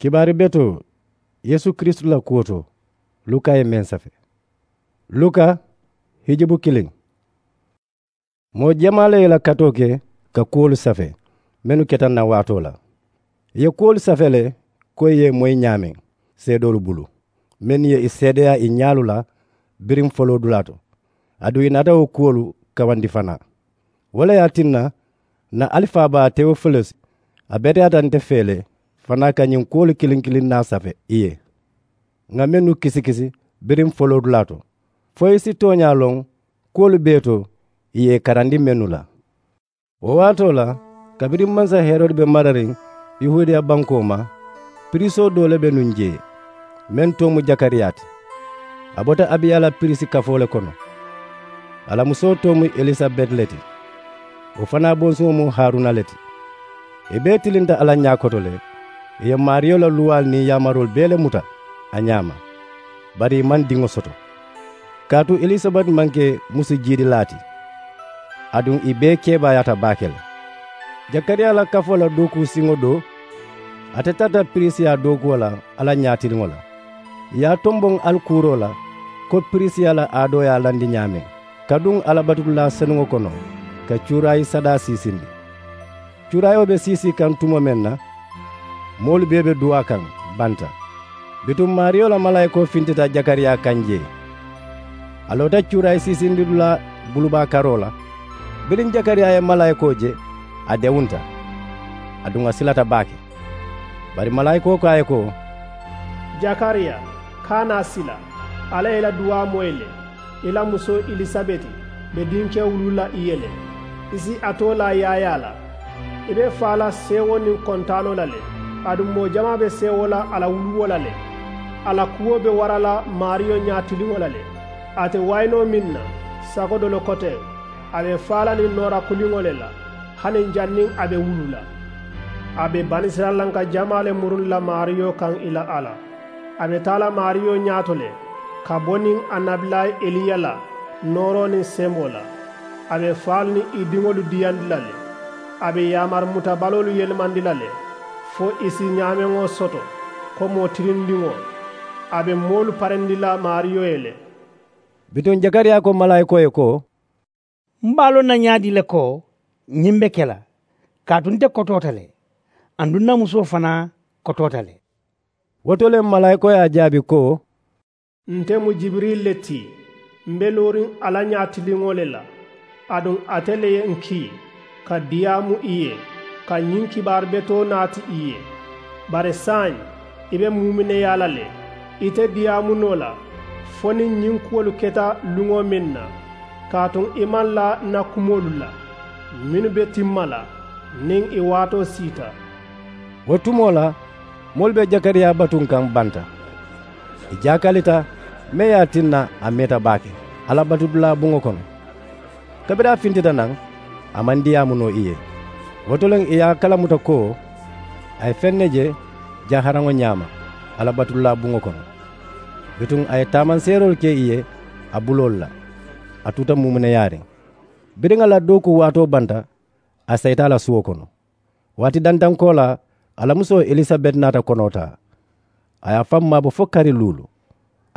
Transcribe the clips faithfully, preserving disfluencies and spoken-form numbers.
Kibaari betoo yeesu kiristu la kuwo to. Luka ye meŋ safe. Luka hijibu kiliŋ. Moo jamaa le ye i la katoo ke ka kuwolu safe mennu keta nawaatoo la. I ye kuwolu safe le ko i ye i moyi ñaameŋ seedoolu bulu mennu ye i seedeyaa i ñaalu la biriŋ foloo dulaa to. Aduŋ i naata wo kuwolu kawandi fanaa. Wo le ye a tinna ǹ na alifaabaa tewofilusi a beteyaata nte fee le fanaa ka ñiŋ kuwolu kiliŋ kiliŋ naa safe i ye ŋà mennu kisikisi biriŋ foloo dulaa to fo i si tooñaa loŋ kuwolu bee to i ye i karandi mennu la. Wo waatoo la kabiriŋ mansa herodi be marariŋ yahuudiya bankoo ma, piriisoo doo le be nuŋ jee meŋ too mu jakariyaa ti. A bota abiya la piriisi kafoo le kono. A la musoo too mu elisabeti le ti. Wo fanaa bonsuŋo mu haruna le ti. I bee tilinta alla ñaa koto le. I ye maariyo la luwaalu niŋ yaamaroolu bee le muta a ñaama. Bari i maŋ diŋo soto. Kaatu elisabeti maŋ ke musu jiidilaa ti. Aduŋ i bee keebaayaata baake le. Jakariyaa la kafoo la dookuu siŋo do ate tarata piriisiyaa dookuwo la alla ñaatiliŋo la. I ye a tomboŋ alikuuroo la ko piriisiyaa la aadoo ye a landi ñaameŋ ka duŋ alla batudulaa senuŋo kono ka cuuraayi sadaa siisindi. Cuuraayoo be siisii kaŋ tumoo meŋ na moolu bee be duwaa kaŋ banta. Bituŋ maariyo la malaayikoo fintita jakariyaa kaŋ jee. A loota cuuraayi siisindidulaa bulubaa karoo la. Biriŋ jakariyaa ye malaayikoo je a dewunta. Aduŋ a silata baake. Bari malaayikoo ko a ye ko, jakariyaa, kaana sila. Alla ye i la duwaa moyi le. I la musoo elisabeti be dinkewo wuluu la i ye le. I si a too laa yaayaa la. I be faa la seewoo niŋ kontaanoo la le. Aduŋ moo jamaa be seewoo la a la wuluwoo la le. A la kuwo be wara la maariyo ñaatiliŋo la le. A te waayinoo meŋ na sago dolo koteŋ, a be faa la niŋ noora kuliŋo le la. Hani janniŋ a be wuluu la a be banisirayilanka jamaa le muruŋ la maariyo kaŋ i la alla. A be taa la maariyo ñaato le ka bo niŋ annabilaa eliya la nooroo niŋ semboo la. A be faalu niŋ i diŋolu diyandi la le. A be yaamari muta baloolu yelemandi la le fo i si ñaameŋo soto ko moo tilindiŋo. A be moolu parendi la maariyo ye le. Bituŋ jakariyaa ko malaayikoo ye ko, m be a loŋ na ñaadii le ko ñiŋ be ke la? Kaatu nte kotoota le aduŋ n na musoo fanaa kotoota le. Wo to le malaayikoo ye a jaabi ko, nte mu jibirili le ti. M be looriŋ alla ñaatiliŋo le la. Aduŋ ate le ye n kii ka diyaamu i ye ka ñiŋ kibaari betoo naati i ye. Bari saayiŋ i be muumineyaa la le. Ite diyaamu noo la fo niŋ ñiŋ kuwolu keta luŋo meŋ na. Kaatu i maŋ laa n na kumoolu la mennu be timma la niŋ i waatoo siita. Wo tumoo la moolu be jakariyaa batuŋ kaŋ banta. I jaakalita meŋ ye a tinna a meeta baake alla batudulaa buŋo kono. Kabiriŋ a fintita naŋ a maŋ diyaamu noo i ye. Wo to le i ye a kalamuta ko a ye feŋ ne je jaharaŋo ñaama alla batudulaa buŋo kono. Bituŋ a ye taamanseeroolu ke i ye a buloolu la. A tuuta muumuneyaariŋ biriŋ a la dookuu waatoo banta. A sayita a la suwo kono. Waati dantankoo la a la musoo elisabeti naata konoo taa. A ye a faŋ maabo fo kari luulu.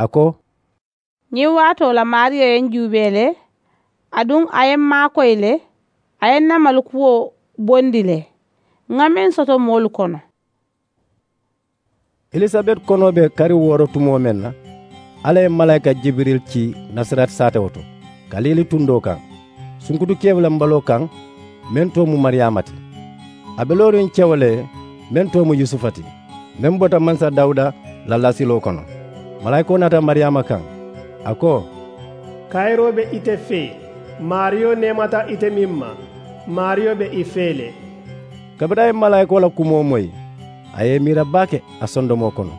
A ko, ñiŋ waatoo la maariyo ye n juubee le. Aduŋ a ye m maakoyi le. A ye n na malikuwo bondi le ŋa meŋ soto moolu kono. Elisabeti konoo be kari wooro tumoo meŋ na, alla ye malaayika jibiril ci nasarati saatewo to, kaliili tundoo kaŋ, sunkutu kewulembaloo kaŋ meŋ too mu mariyaama ti. A be looriŋ cewo le meŋ too mu yusufa ti, meŋ bota mansa dawuda la lasiloo kono. Malaayikoo naata mariyaama kaŋ, a ko, kayiroo be ite fee. Maariyo neemata ite meŋ ma. Maariyo be i fee le. Kabiriŋ a ye malaayikoo la kumoo moyi, a ye i miira baake a sondomoo kono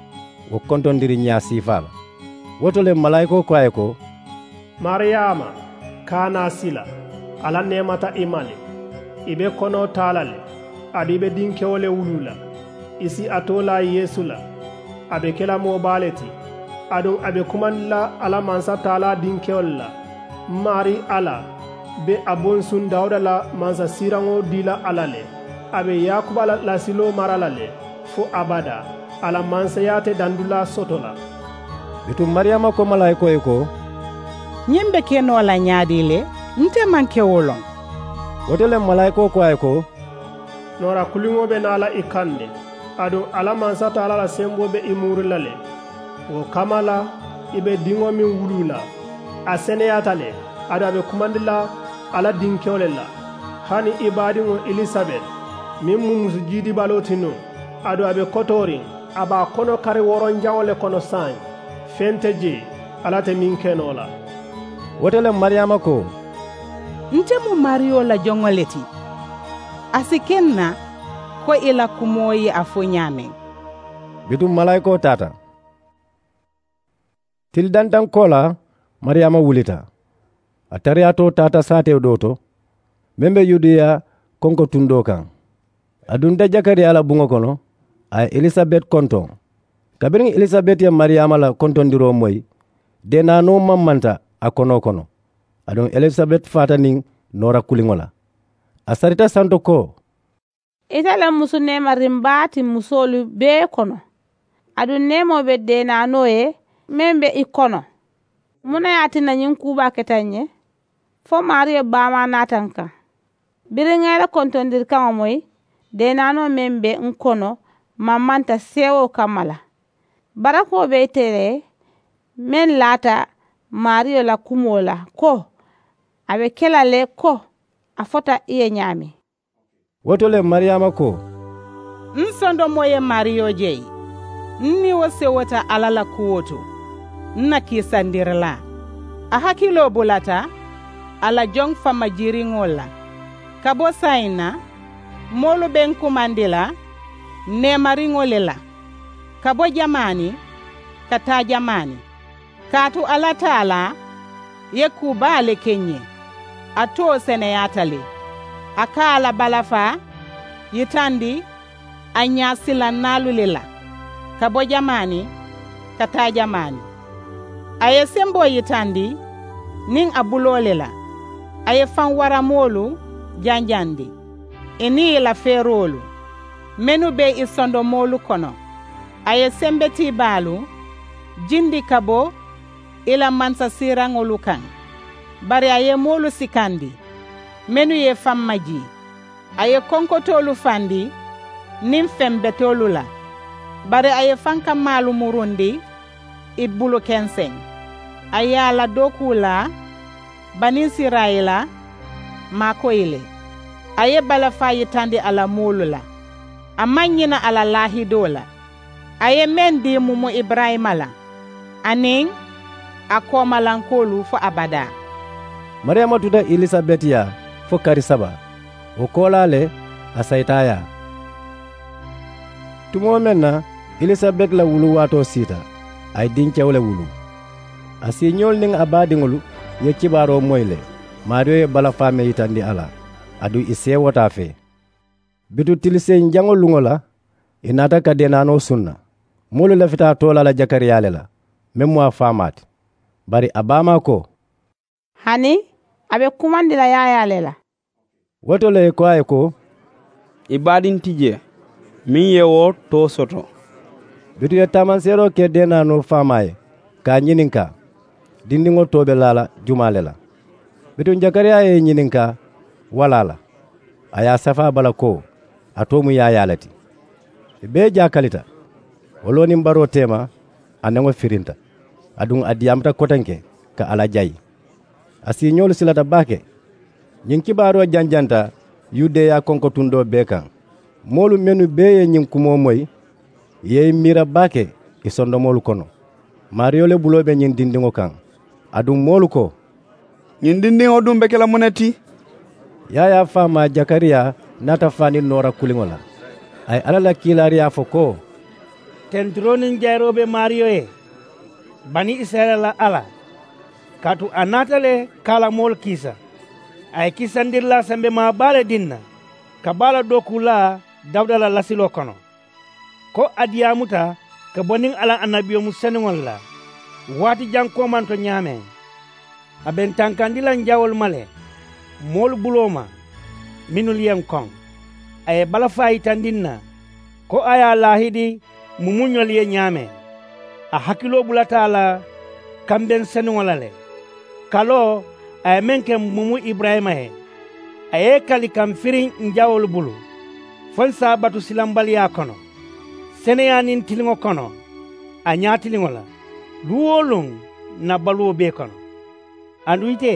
wo kontondiriŋ ñaa siifaa la. Wo to le malaayikoo ko a ye ko, mariyaama, kaana sila. Alla neemata i ma le. I be konoo taa la le. Aduŋ i be dinkewo le wuluu la. I si a too laa yeesu la. A be ke la moo baa le ti. Aduŋ a be kumandi la alla mansataalaa dinkewolu la. M maarii alla be a bonsuŋ dawuda la mansasiiraŋo dii la a la le. A be yaakuba la lasiloo mara la le fo abadaa. A la manseyaa te dandulaa soto la. Bituŋ mariyama ko malaayikoo ye ko, ñiŋ be ke noo la ñaadii le? Nte maŋ ke wo loŋ. Wo to le malaayikoo ko a ye ko, noora kuliŋo be naa la i kaŋ ne, aduŋ alla mansataalaa la semboo be i muuri la le. Wo kamma la, i be diŋo meŋ wuluu la, a seneyaata le, aduŋ a be kumandi la alla dinkewo le la. Hani i baadiŋo elisabet, meŋ mu musu jiidibaloo ti nuŋ, aduŋ a be kotooriŋ, a be a kono kari woronjaŋo le kono saayiŋ. Feŋ te jee, alla te meŋ ke noo la. Wo to le mariyama ko, nte mu maariyo la joŋo le ti. A si ke n na ko i la kumoo ye a fo ñaameŋ. Bituŋ malaayikoo taata. Tili dantaŋ koolaa, mariyama wulita. A tariyaatoo taata saatewo doo to, meŋ be yudeya konkotundoo kaŋ. A dunta jakariyaa la buŋo kono, a ye elisabet kontoŋ. Kabiriŋ elisabet ye mariyama la kontondiroo moyi, deenaanoo maŋ manta a konoo kono. Aduŋ elisabet faata niŋ noora kuliŋo la. A sarita santo ko, ite le mu musu neemariŋ baa ti musoolu bee kono. Aduŋ neemoo be deenaanoo ye meŋ be i kono. Muŋ na ye a tinna ñiŋ kuu baa keta n ye? Fo maariyo baamaa naata n kaŋ. Biriŋ ŋa i la kontondiri kaŋo moyi, deenaanoo meŋ be n kono maŋ manta seewoo kamma la. Barakoo be ite le meŋ laata maariyo la kumoo la ko, a be ke la le ko a fota i ye ñaameŋ. Wo to le mariyama ko, n sondomoo ye maariyo je n niŋ wo sewota alla la kuwo to. N na kiisandirilaa a hakiloo bulata a la joŋ fammajiiriŋolu la. Ka bo saayiŋ na moolu be n kumandi la neemariŋo le la, ka bo jamaani ka taa jamaani. Kaatu alla taalaa ye kuu baa le ke n ye. A too seneyaata le. A ka a la balafaa yitandi a ñaasilannaalu le la, ka bo jamaani ka taa jamaani. A ye semboo yitandi niŋ a buloo le la. A ye faŋ waramoolu janjandi, ì niŋ ì la feeroolu mennu be ì sondomoolu kono. A ye sembetiibaalu jindi ka bo ì la mansasiiraŋolu kaŋ. Bari a ye moolu sikandi mennu ye faŋ majii. A ye konkotoolu fandi niŋ feŋ betoolu la. Bari a ye fankamaalu murundi ì bulu kenseŋ. A ye a la dookuu laa banisirayila maakoyi le. A ye balafaa yitandi a la moolu la. A maŋ ñina a la laahidoo la a ye meŋ dii mumu iburayima la aniŋ a koomalankoolu fo abadaa. Mariyama tuta elisabeti yaa fo kari saba. Wo koolaa le a sayita a yaa. Tumoo meŋ na elisabet la wulu waatoo siita, a ye dinkewo le wulu. A siiñoolu niŋ a baadiŋolu ye kibaaroo moyi le. Maariyo ye balafaa meŋ yitandi a la, aduŋ ì seewota a fee. Bituŋ tiliseyiŋ jaŋo luŋo la, ì naata ka deenaanoo sunna. Moolu lafita a too la la jakariyaa le la, meŋ mu a faamaa ti. Bari a baamaa ko, hani a be kumandi la yaayaa le la. Wo to le ì ko a ye ko, i baadiŋ ti jee meŋ ye wo too soto. Bituŋ ì ye taamanseeroo ke deenaanoo faamaa ye, ka a ñininkaa, dindiŋo too be laa la jumaa le la? Bituŋ jakariyaa ye i ñininkaa walaa la? A ye a safaa bala ko a too mu yaayaa le ti. Ì bee jaakalita. Wo loo niŋ baroo teema, a neŋo firinta, aduŋ a diyaamuta kotenke ka alla jayi. A siiñoolu silata baake. Ñiŋ kibaaroo janjanta yudeya konkotundoo bee kaŋ. Moolu mennu bee ye ñiŋ kumoo moyi, ì ye i miira baake ì sondomoolu kono. Maariyo le buloo be ñiŋ dindiŋo kaŋ. Aduŋ moolu ko, ñiŋ dindiŋo duŋ be ke la muŋ ne ti? Yaayaa faamaa jakariyaa naata faa niŋ noora kuliŋo la. A ye alla la kiilaariyaa fo ko, tenturoo niŋ jayiroo be maariyo ye, bani isirayila la alla. Kaatu a naata le ka a la moolu kiisa. A ye kiisandirilaa sembemaa baa le dii n na ka bo a la dookuu laa dawuda la lasiloo kono, ko a diyaamuta ka bo niŋ a la annabiyomu senuŋolu la waati jaŋ koomanto ñaameŋ. A be n tankandi la n jawoolu ma le moolu buloo ma mennu ye n koŋ. A ye balafaa yitandi n na ko a ye a laahidi mumuñolu ye ñaameŋ. A hakiloo bulata a la kambeŋ senuŋo la le. Kaloo a ye meŋ ke mumu iburayima ye, a ye i kali ka m̀ firiŋ ǹ jawoolu bulu, fo ǹ si a batu silambaliyaa kono, seneyaa niŋ tiliŋo kono, a ñaatiliŋo la, luŋ-wo-luŋ ǹ na baluwo bee kono. Aduŋ ite,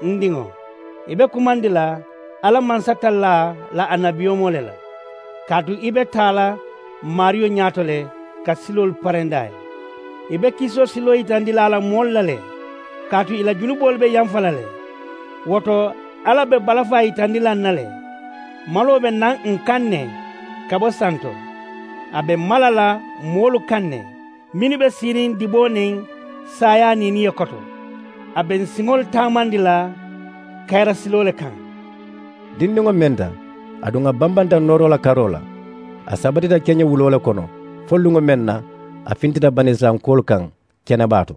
n diŋo, i be kumandi la alla mansatallaa la annabiyomoo le la, kaatu i be taa la maariyo ñaato le ka siloolu parendi a ye. I be kisoo siloo yitandi la a la moolu la le, kaatu ì la junuboolu be yamfa la le. Wo to, alla be balafaa yitandi la ǹ na le. Maloo be naŋ ǹ kaŋ ne ka bo santo. A be mala la moolu kaŋ ne mennu be siiriŋ diboo niŋ saayaa niiniyo koto. A be ǹ siŋolu taamandi la kayira siloo le kaŋ. Dindiŋo menta, aduŋ a bambanta nooroo la karoo la. A sabatita keñewuloo le kono fo luŋo meŋ na a fintita banisirayilankoolu kaŋ kenebaa to.